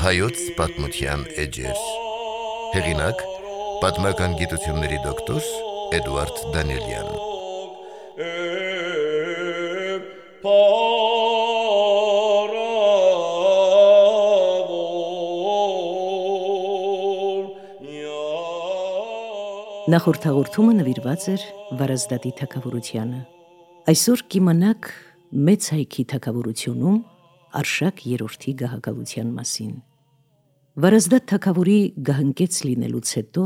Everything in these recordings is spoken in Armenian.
Հայոց պատմության էջեր։ Հեղինակ՝ պատմական գիտությունների դոկտոր Էդուարդ Դանիելյան։ Նախորդ հաղորդումը նվիրված էր Վարազդատի թագավորությանը։ Այսօր կիմանաք մեծ հայքի թագավորությունում Արշակ երրորդի գահակալության մասին։ Վարազդատ թագավորի գահընկեց լինելուց հետո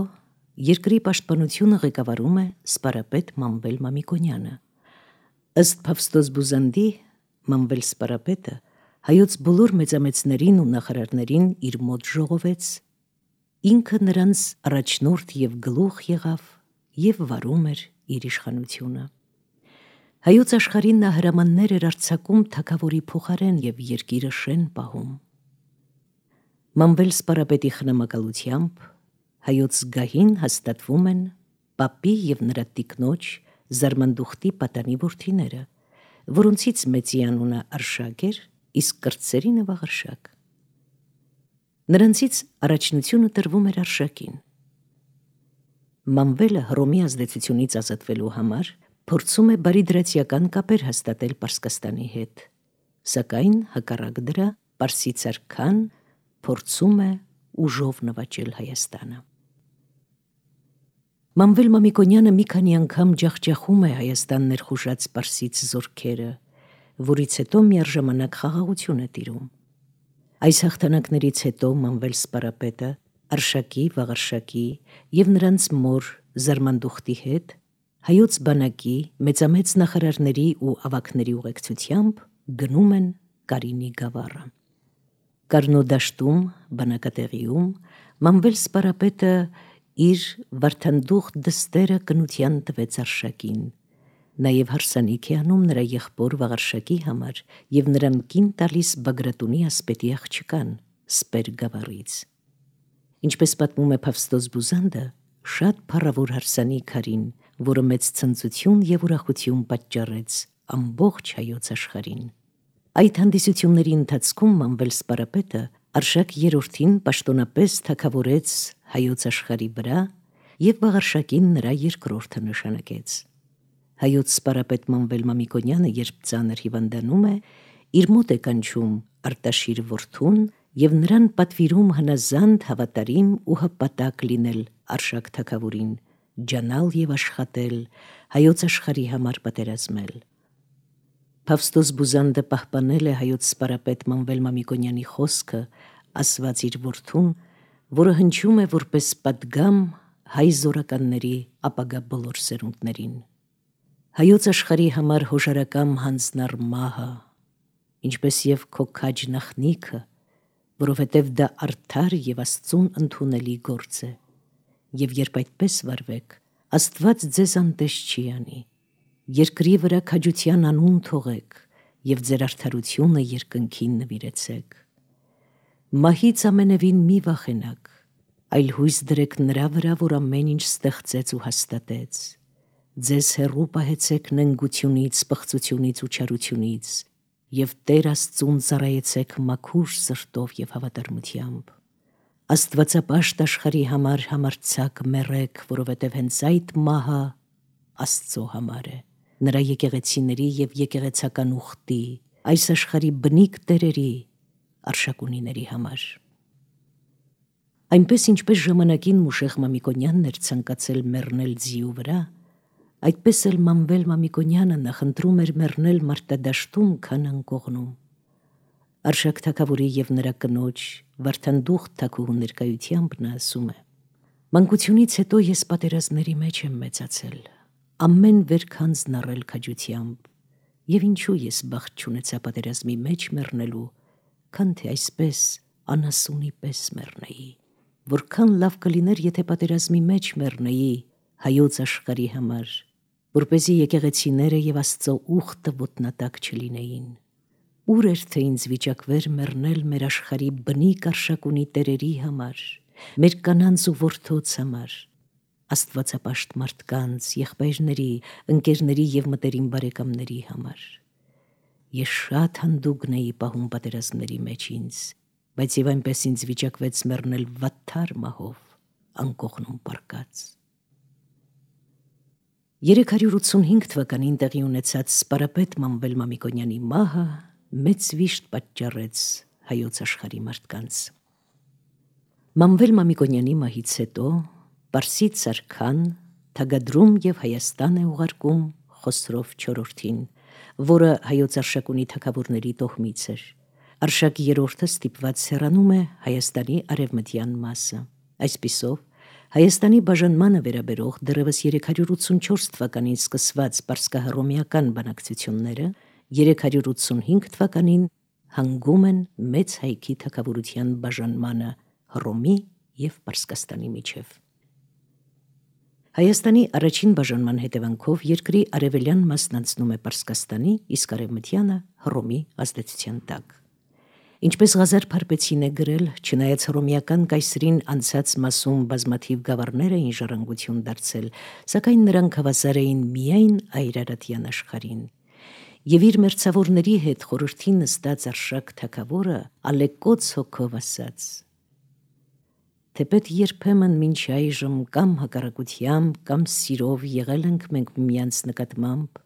երկրի պաշտպանությունը ղեկավարում է սպարապետ Մամվել Մամիկոնյանը։ Ըստ Փավստոս Բուզանդի, Մամվել սպարապետը հայոց բոլոր մեծամեծներին ու նախարարներին իր մոտ ժողովեց, ինքը նրանց առաջնորդ և գլուխ եղավ և վարում էր իր իշխանությունը։ Հայոց աշխարհին նա հրամաններ էր արձակում թագավորի փոխարեն և երկիրը շեն պահում։ Մամվել սպարապետի խնամակալությամբ հայոց գահին հաստատվում են պապի և նրա տիկնոջ Զարմանդուխտի պատանի որդիները, որոնցից մեծի անունը Արշակ էր, իսկ կրտսերի նվաղ Նրանցից առաջնությունը տրվում էր Արշակին։ Մամվելը Հռոմի ազդեցությունից ազատվելու համար փորձում է բարիդրացիական կապեր հաստատել Պարսկաստանի հետ, սակայն հակառակ դրա պարսիցար քան փորձում է ուժով նվաճել Հայաստանը։ Մամվել Մամիկոնյանը մի քանի անգամ ջախջախում է Հայաստան ներխուժած պարսից զորքերը, որից հետո միառժամանակ խաղաղություն է տիրում։ Այս հաղթանակներից հետո Մամվել սպարապետը Արշակի, Վաղարշակի և նրանց մոր Զարմանդուխտի հետ հայոց բանակի, մեծամեծ նախարարների ու ավագների ուղեկցությամբ գնում են Կարինի գավառը։ Կարնո դաշտում, բանակատեղիում, Մամվել սպարապետը իր վարդանդուխտ դստերը կնության տվեց Արշակին, նաև հարսանիք է անում նրա եղբոր Վաղարշակի համար և նրան կին տալիս Բագրատունի ասպետի աղջկան Սպեր գավառից։ Ինչպես պատմում է Փավստոս Բուզանդը, շատ փառավոր հարսանիք արին, որը մեծ ցնծություն և ուրախություն պատճառեց ամբողջ հայոց աշխարհին։ Այդ հանդիսությունների ընթացքում Մամվել սպարապետը Արշակ երրորդին պաշտոնապես թագավորեց հայոց աշխարհի վրա և Վաղարշակին նրա երկրորդը նշանակեց։ Հայոց սպարապետ Մամվել Մամիկոնյանը, երբ ծանր հիվանդանում է, իր մոտ է կանչում Արտաշիր որդուն և նրան պատվիրում հնազանդ, հավատարիմ ու հպատակ լինել Արշակ թագավորին, ջանալ և աշխատել, հայոց աշխարհի համար պատերազմել։ Փավստոս Բուզանդը պահպանել է հայոց սպարապետ Մամվել Մամիկոնյանի խոսքը, ասված իր որդուն, որը հնչում է որպես պատգամ հայ զորականների ապագա բոլոր սերունդներին։ Հայոց աշխարհի համար հոժարակամ հանձնառ մահը, ինչպես և քո քաջ նախնիքը, որովհետև դա արդար և Աստծուն ընդունելի գործ է, և երբ այդպես վարվեք, Աստված ձեզ անտես չի անի, երկրի վրա քաջության անուն թողեք և ձեր արդարությունը երկնքին նվիրեցեք։ Մահից ամենևին մի վախենաք, այլ հույս դրեք նրա վրա, որ ամեն ինչ ստեղծեց ու հաստատեց։ Ձեզ հեռու պահեցեք նենգությունից, պղծությունից ու չարությունից և Տեր Աստծուն ծառայեցեք մաքուր սրտով և հավատարմությամբ։ Աստվածապաշտ աշխարհի համար համարձակ մեռեք, որովհետև հենց այդ մահը Աստծո համար է, նրա եկեղեցիների և եկեղեցական ուխտի, այս աշխարհի բնիկ տերերի, արշակունիների համար։ Այնպես ինչպես ժամանակին Մուշեղ Մամիկոնյանն էր ցանկացել մեռնել ձիու վրա, այդպես էլ Մամվել Մամիկոնյանը նախընտրում էր մեռնել մարտադաշտում, քան անկողնում։ Արշակ թագավորի և նրա կնոջ վարդանդուխտ թագուհու ներկայությամբ նա ասում է. «Մանկությունից հետո ես պատերազմների մեջ եմ մեծացել, ամեն վերք հանձնառել քաջությամբ, և ինչու ես բախտ չունեցա պատերազմի մեջ մեռնելու, քան թե այսպես անասունի պես մեռնեի, որքան լավ կլիներ, եթե պատերազմի մեջ մեռնեի հայոց աշխարհի համար, որպեսզի եկեղեցիները և Աստծո ուխտը ոտնատակ չլինեին։ Ուր էր թե ինձ վիճակվեր մեռնել մեր աշխարհի բնիկ արշակունի տերերի համար, մեր կանանց ու որդոց համար, աստվածապաշտ մարդկանց, եղբայրների, ընկերների և մտերիմ բարեկամների համար։ Ես շատ հանդուգն էի պահում պատերազմների մեջ ինձ, բայց եւ այնպես ինձ վիճակվեց մեռնել վատթար մահով, անկողնում պարկած։ 385 թվականին տեղի ունեցած սպարապետ Մանվել Մամիկոնյանի մահը մեծ վիշտ պատճառեց հայոց աշխարհի մարդկանց։ Մանվել Մամիկոնյանի մահից հետո Պարսից արքան թագադրում եւ Հայաստան է ուղարկում Խոսրով IV-ին, որը հայոց արշակունի թագավորների տոհմից էր։ Արշակ երրորդը ստիպված հեռանում է Հայաստանի արևմտյան մասը։ Այսպիսով, Հայաստանի բաժանմանը վերաբերող դեռևս 384 թվականին սկսված պարսկահռոմեական բանակցությունները 385 թվականին հանգում են մեծ հայքի թագավորության բաժանմանը Հռոմի և Պարսկաստանի միջև։ Հայաստանի առաջին բաժանման հետևանքով երկրի արևելյան մասն անցնում է Պարսկաստանի, իսկ արևմտյանը Հռոմի ազդեցության տակ։ Ինչպես Ղազար Փարպեցին է գրել, չնայած հռոմեական կայսրին անցած մասում բազմաթիվ գավառներ էին ժառանգություն դարձել, սակայն նրանք հավասար էին միայն այրարատյան աշխարհին։ Եվ իր մերձավորների հետ խորհրդի նստած Արշակ թագավորը ալեկոծ հոգով ասաց. թեպետ երբեմն մինչ այժմ կամ հակառակությամբ, կամ սիրով եղել ենք մենք միմյանց նկատմամբ,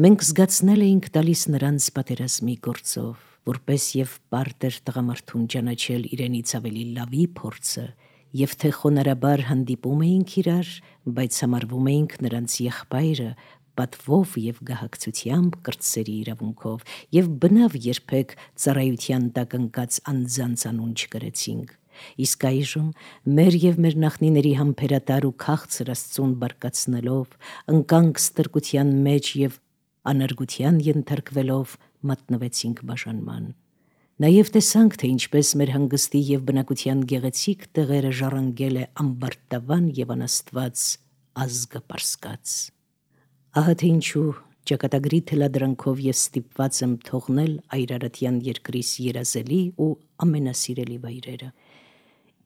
մենք զգացնել էինք տալիս նրանց պատերազմի գործով, որպես եւ պարտեր տղամարդուն ճանաչել իրենից ավելի լավի փորձը, եւ թե խոնարհաբար հանդիպում էինք իրար, բայց համարվում էինք նրանց եղբայրը, պատվով եւ գահակցությամբ կրտսերի իրավունքով, եւ բնավ երբեք ծառայության տակ ընկած անձանց անուն չկրեցինք։ Իսկ այժմ մեր եւ մեր նախնիների համբերատար ու քաղցր Աստծուն բարկացնելով, ընկանք ստրկության մեջ եւ անարգության ենթարկվելով մատնվեցինք բաժանման։ Նաեւ տեսանք, թե ինչպես մեր հանգստի եւ բնակության գեղեցիկ տեղերը ժառանգել է ամբարտավան եւ անաստված ազգը Պարսկած։ Ահա թե ինչու ճակատագրի թելադրանքով ես ստիպված եմ թողնել այրարատյան երկրիս երազելի ու ամենասիրելի վայրերը,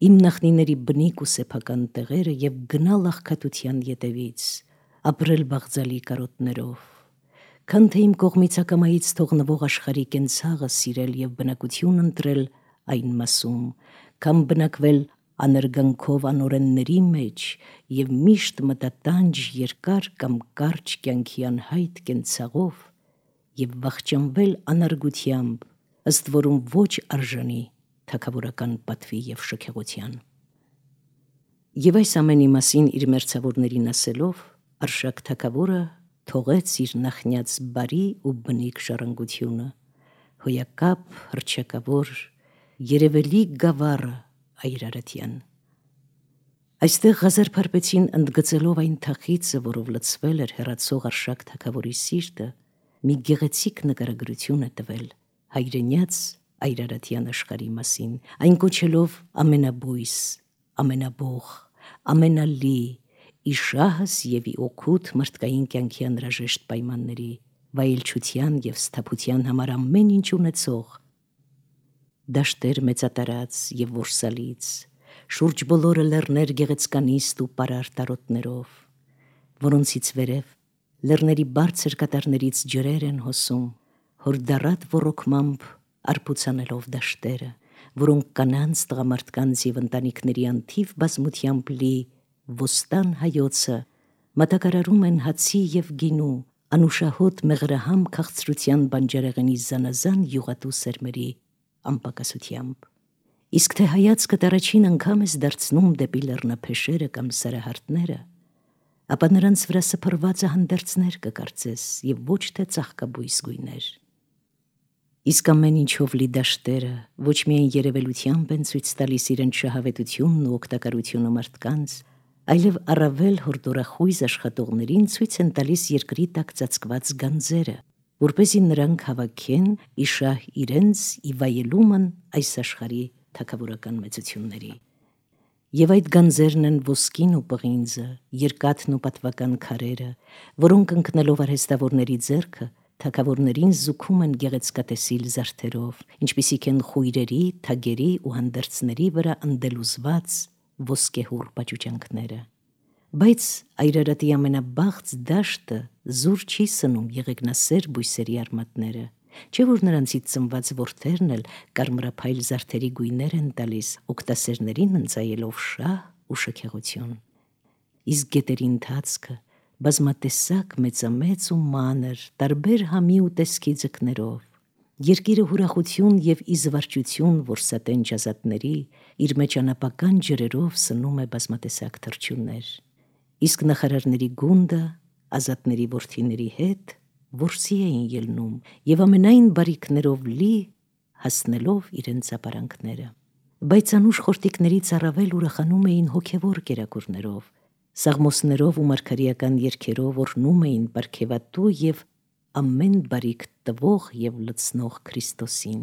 իմ նախնիների բնիկ ու սեփական տեղերը եւ գնալ աղքատության ետևից, ապրել բաղձալի կարոտներով, քան թե իմ կողմից ակամայից թողնվող աշխարհի կենցաղը սիրել եւ բնակություն ընտրել այն մասում, կամ բնակվել աներգանքով անօրենների մեջ եւ միշտ մտատանջ երկար կամ կարճ կյանքի անհայտ կենցաղով եւ վախճանվել անարգությամբ, ըստ որում ոչ արժանի թագավորական պատվի եւ շքեղության։ Եվ այս ամենի մասին իր մերձավորներին ասելով, Արշակ թագավորը թողեց իր նախնյաց բարի ու բնիկ ժառանգությունը, հոյակապ, հռչակավոր, երևելի գավառը այրարատյան։ Այստեղ Ղազար Փարպեցին ընդգծելով այն թախիծը, որով լցվել էր հեռացող Արշակ թագավորի սիրտը, մի գեղեցիկ նկարագրություն է տվել հայրենյաց այրարատյան աշխարհի մասին, այն կոչելով ամենաբույս, ամենաբող, ամենալի, իշահս եւ օգուտ մարդկային կյանքի անհրաժեշտ պայմանների, վայելչության եւ սթափության համար ամեն ինչ ունեցող, դաշտեր մեծատարած եւ որսալից, շուրջ բոլորը լեռներ գեղեցկանիստ ու պարար տարոտներով, որոնցից վերև լեռների բարձր կատարներից ջրեր են հոսում, հորդառատ ոռոգմամբ արբուցանելով դաշտերը, որոնք կանանց, տղամարդկանց եւ ընտանիքների անթիվ բազմությամբ լի ոստան հայոցը մատակարարում են հացի եւ գինու, անուշահոտ մեղրահամ քաղցրության բանջարեղենի զանազան յուղատու սերմերի անպակասությամբ։ Իսկ թե հայացքդ առաջին անգամ ես դարձնում դեպի լեռնափեշերը կամ սարահարթները, ապա նրանց վրա սփռված հանդերձներ կկարծես եւ ոչ թե ծաղկաբույս գույներ։ Իսկ ամեն ինչով լի դաշտերը ոչ միայն երևելությամբ են ցույց տալիս իրենց շահավետությունն ու օգտակարությունը մարդկանց, այլև առավել հորդորախույզ աշխատողներին ցույց են տալիս երկրի տակ ծածկված գանձերը, որպեսզի նրանք հավաքեն իշահ իրենց ի վայելումն այս աշխարհի թագավորական մեծությունների։ Եվ այդ գանձերն են ոսկին ու պղինձը, երկաթն ու պատվական քարերը, որոնք ընկնելով արհեստավորների ձեռքը թագավորներին զուգում են գեղեցկատեսիլ զարդերով, ինչպիսիք են խույրերի, թագերի ու հանդերձների վրա ընդելուզված ոսկեհուռ պաճուճանքները։ Բայց այրարատի ամենաբաղձ դաշտը զուր չի սնում եղեգնասեր բույսերի արմատները, Չէ որ նրանցից ծնված որդերն էլ կարմրափայլ զարդերի գույներ են տալիս, օգտասերներին ընծայելով շահ ու շքեղություն։ Իսկ գետերի ընթացքը բազմատեսակ մեծամեծ ու մանր, տարբեր համի ու տեսքի ձկներով, երկիրը հուրախություն եւ իզվարճություն որսատեն ջազատների, իր մեջ անապական ջրերով սնում է բազմատեսակ թռչուններ։ Իսկ նախարարների գունդը ազատների որդիների հետ որսի էին ելնում եւ ամենայն բարիքներով լի հասնելով իրենց ապարանքները։ Բայց անուշ խորտիկներից առավել ուրախանում էին հոգևոր կերակուրներով, սաղմոսներով ու մարգարեական երգերով օրհնում էին բարքեվատու եւ ամեն բարիք տվող եւ լցնող Քրիստոսին։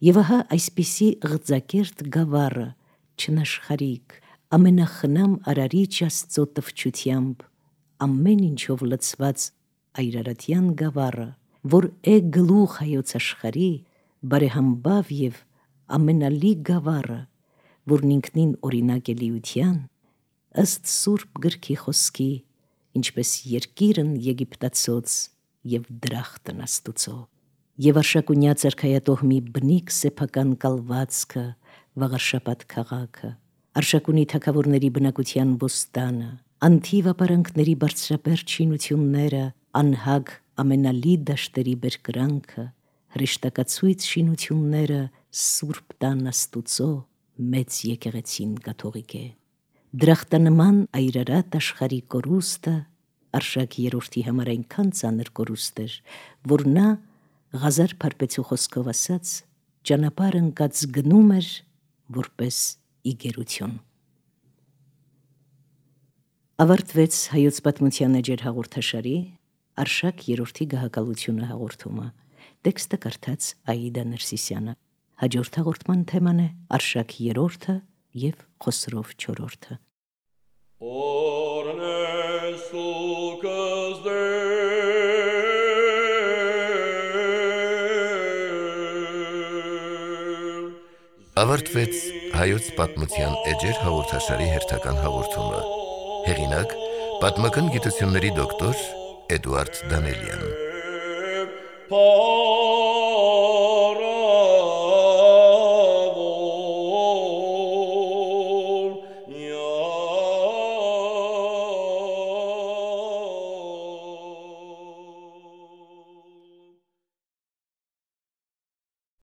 Եվ ահա այսպիսի ղձակերտ գավառը, չնաշխարիկ, ամենախնամ արարիչ Աստծո տվչությամբ, ամեն ինչով լցված այրարատյան գավառը, որ է գլուխ հայոց աշխարհի, բարեհամբավ եւ ամենալի գավառը, որն ինքնին օրինակ է լիության, ըստ Սուրբ գրքի խոսքի, ինչպես երկիրն Եգիպտացոց եւ դրախտն Աստուծո, եւ արշակունյաց արքայատոհմի բնիկ սեփական կալվածքը, Վաղարշապատ քաղաքը, արշակունի թագավորների բնակության բոստանը, անթիվ ապարանքների բարձրաբերդ շինությունները, անհագ ամենալի դաշտերի բերկրանքը, հրեշտակացույց շինությունները Սուրբ տան Աստուծո մեծ եկեղեցին կաթողիկե։ Դրախտանման այրարատ աշխարհի կորուստը Արշակ երրորդի համար այնքան ծանր կորուստ էր, որ նա Ղազար Փարպեցու խոսքով ասած ճանապարհ ընկած գնում էր որպես իգերություն։ Ավարտվեց հայոց պատմության էջեր հաղորդաշարի Արշակ երրորդի գահակալությունը հաղորդումը։ Տեքստը կարդաց Աիդա Ներսիսյանը։ Հաջորդ հաղորդման թեման է Արշակ երրորդը եւ Խոսրով չորրորդը։ Ավարտվեց հայոց պատմության էջեր հաղորդաշարի հերթական հաղորդումը։ Հեղինակ՝ պատմական գիտությունների դոկտոր Էդուարդ Դանելյան։